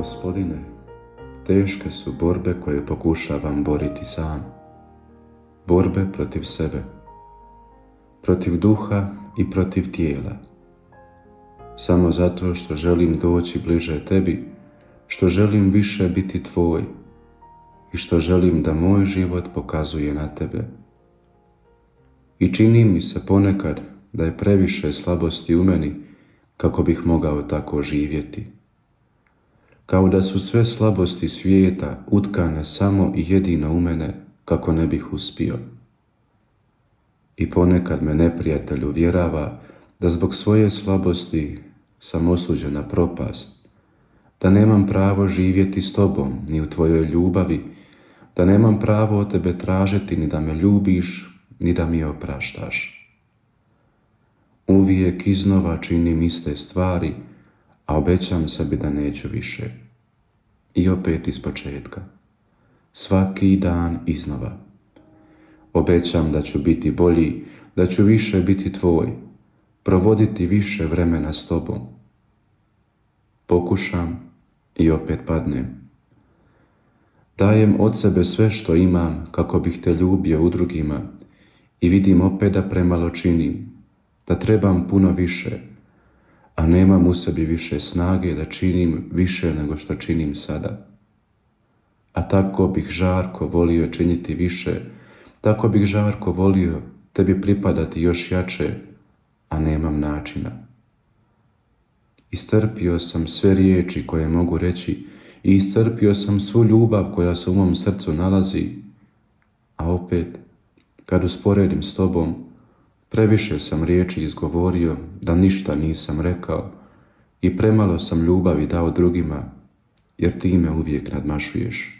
Gospodine, teške su borbe koje pokušavam boriti sam. Borbe protiv sebe, protiv duha i protiv tijela. Samo zato što želim doći bliže tebi, što želim više biti tvoj i što želim da moj život pokazuje na tebe. I čini mi se ponekad da je previše slabosti u meni kako bih mogao tako živjeti. Kao da su sve slabosti svijeta utkane samo i jedino u mene kako ne bih uspio. I ponekad me neprijatelj uvjerava da zbog svoje slabosti sam osuđen na propast, da nemam pravo živjeti s tobom ni u tvojoj ljubavi, da nemam pravo od tebe tražiti ni da me ljubiš, ni da mi opraštaš. Uvijek iznova činim iste stvari, a obećam sebi da neću više. I opet ispočetka. Svaki dan iznova. Obećam da ću biti bolji, da ću više biti tvoj, provoditi više vremena s tobom. Pokušam i opet padnem. Dajem od sebe sve što imam kako bih te ljubio u drugima i vidim opet da premalo činim, da trebam puno više, a nemam u sebi više snage da činim više nego što činim sada. A tako bih žarko volio činiti više, tako bih žarko volio tebi pripadati još jače, a nemam načina. Iscrpio sam sve riječi koje mogu reći i iscrpio sam svu ljubav koja se u mom srcu nalazi, a opet, kad usporedim s tobom, previše sam riječi izgovorio da ništa nisam rekao i premalo sam ljubavi dao drugima, jer ti me uvijek nadmašuješ.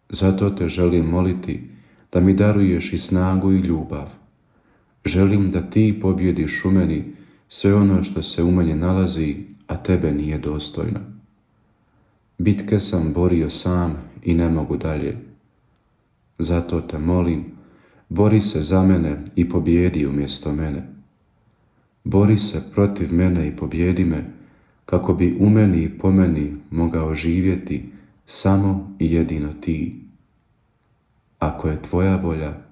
Zato te želim moliti da mi daruješ i snagu i ljubav. Želim da ti pobjediš u meni sve ono što se u meni nalazi, a tebe nije dostojno. Bitke sam borio sam i ne mogu dalje. Zato te molim, bori se za mene i pobjedi umjesto mene. Bori se protiv mene i pobjedi me, kako bi u meni i po meni mogao živjeti samo i jedino ti. Ako je tvoja volja,